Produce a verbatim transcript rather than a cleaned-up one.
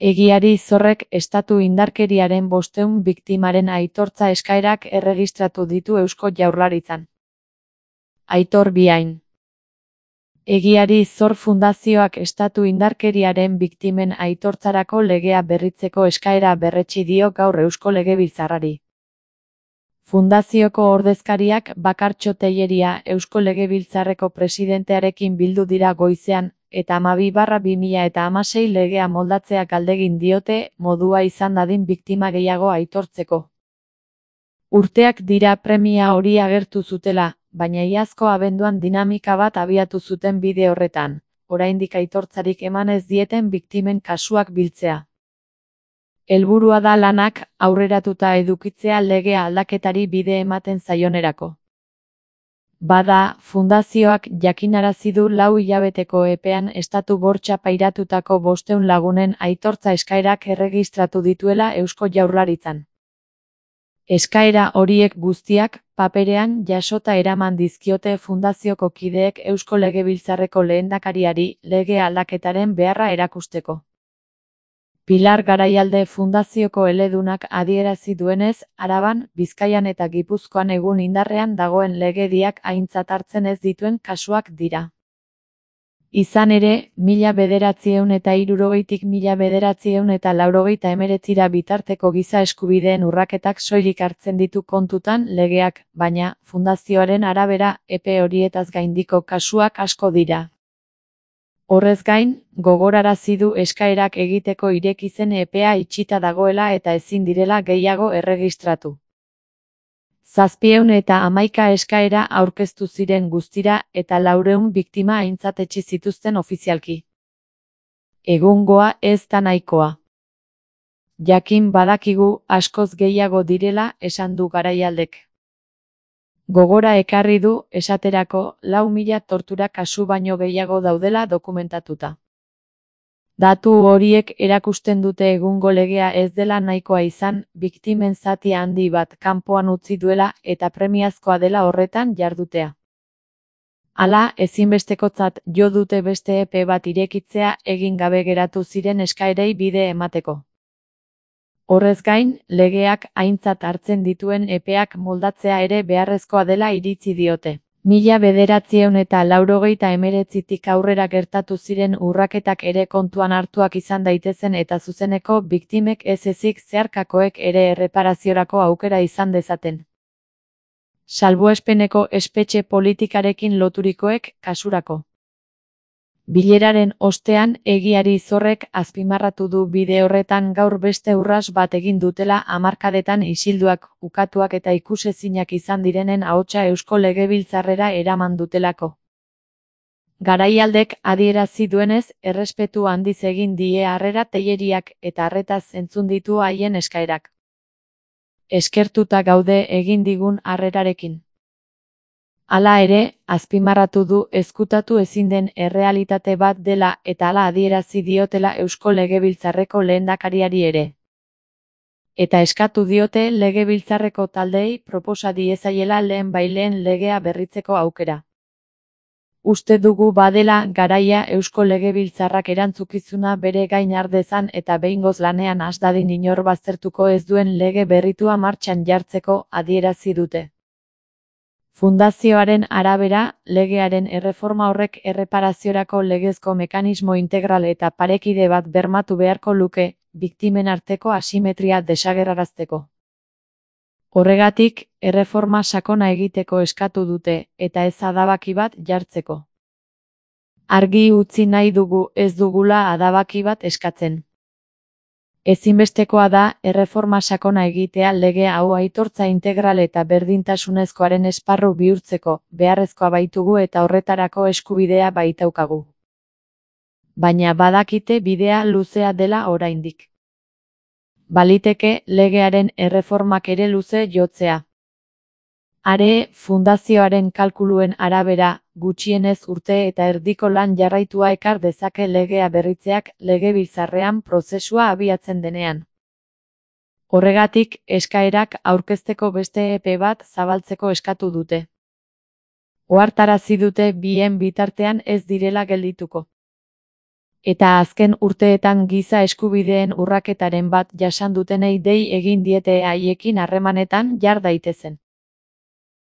Egiari Zorrek estatu indarkeriaren bostehun biktimaren aitortza eskaerak erregistratu ditu Eusko Jaurlaritzan. Aitor Biain. Egiari Zor Fundazioak estatu indarkeriaren biktimen aitortzarako legea berritzeko eskaera berretsi dio gaur Eusko Legebiltzarrari. Fundazioko ordezkariak Bakartxo Telleria Eusko Legebiltzarreko presidentearekin bildu dira goizean, eta hamabi barra bi mila hamasei legea moldatzea galdegin diote modua izan dadin biktima gehiago aitortzeko. Urteak dira premia hori agertu zutela, baina iazko abenduan dinamika bat abiatu zuten bide horretan, oraindik aitortzarik eman ez dieten biktimen kasuak biltzea. Helburua da lanak aurreratuta edukitzea legea aldaketari bide ematen zaionerako. Bada, fundazioak jakinarazi du lau hilabeteko epean estatu bortxa pairatutako bostehun lagunen aitortza eskaerak erregistratu dituela Eusko Jaurlaritzan. Eskaera horiek guztiak, paperean jasota eraman dizkiote fundazioko kideek Eusko Legebiltzarreko lehendakariari lege aldaketaren beharra erakusteko. Pilar Garaialde fundazioko eledunak adierazi duenez, Araban, Bizkaian eta Gipuzkoan egun indarrean dagoen legediak aintzat hartzen ez dituen kasuak dira. Izan ere, mila bederatziehun eta hirurogeitik mila bederatziehun eta laurogeita hemeretzira bitarteko giza eskubideen urraketak soilik hartzen ditu kontutan legeak, baina, fundazioaren arabera, epe horietaz gaindiko kasuak asko dira. Horrez gain, gogorarazi du eskaerak egiteko ireki zen epea itxita dagoela eta ezin direla gehiago erregistratu. Zazpiehun eta hamaika eskaera aurkeztu ziren guztira eta laurehun biktima aintzat etsi zituzten ofizialki. Egungoa ez da nahikoa. Jakin badakigu askoz gehiago direla esan du Garaialdek. Gogora ekarri du, esaterako, lau mila tortura kasu baino gehiago daudela dokumentatuta. Datu horiek erakusten dute egungo legea ez dela nahikoa izan, biktimen zati handi bat kanpoan utzi duela eta premiazkoa dela horretan jardutea. Hala, ezinbestekotzat jo dute beste epe bat irekitzea egin gabe geratu ziren eskaerei bide emateko. Horrez gain, legeak aintzat hartzen dituen epeak moldatzea ere beharrezkoa dela iritzi diote. Mila bederatziehun eta laurogeita hemeretzitik aurrera gertatu ziren urraketak ere kontuan hartuak izan daitezen eta zuzeneko biktimek ez ezik zeharkakoek ere erreparaziorako aukera izan dezaten. Salbuespeneko espetxe politikarekin loturikoek kasurako. Bileraren ostean Egiari Zorrek azpimarratu du bide horretan gaur beste urras bat egin dutela hamarkadetan isilduak, ukatuak eta ikusezinak izan direnen ahotsa Eusko Legebiltzarrera eraman dutelako. Garaialdek adierazi duenez, errespetu handiz egin die harrera Telleriak eta harretaz entzun ditu haien eskaerak. Eskertuta gaude egin digun harrerarekin. Hala ere, azpimarratu du ezkutatu ezin den errealitate bat dela eta hala adierazi diotela Eusko Legebiltzarreko lehendakariari ere. Eta eskatu diote Legebiltzarreko taldeei proposa diezaiela lehen baileen legea berritzeko aukera. Uste dugu badela garaia Eusko Legebiltzarrak erantzukizuna bere gain har dezan eta behingoz lanean has dadin inor baztertuko ez duen lege berritua martxan jartzeko adierazi dute. Fundazioaren arabera, legearen erreforma horrek erreparaziorako legezko mekanismo integral eta parekide bat bermatu beharko luke, biktimen arteko asimetria desagerrarazteko. Horregatik, erreforma sakona egiteko eskatu dute, eta ez adabaki bat jartzeko. Argi utzi nahi dugu ez dugula adabaki bat eskatzen. Ezinbestekoa da erreforma sakona egitea lege hau aitortza integral eta berdintasunezkoaren esparru bihurtzeko, beharrezkoa baitugu eta horretarako eskubidea baitaukagu. Baina badakite bidea luzea dela oraindik. Baliteke legearen erreformak ere luze jotzea. Are, fundazioaren kalkuluen arabera, gutxienez urte eta erdiko lan jarraitua ekar dezake legea berritzeak Legebiltzarrean prozesua abiatzen denean. Horregatik, eskaerak aurkezteko beste epe bat zabaltzeko eskatu dute. Ohartarazi dute bien bitartean ez direla geldituko. Eta azken urteetan giza eskubideen urraketaren bat jasan dutenei dei egin diete haiekin harremanetan jar daitezen.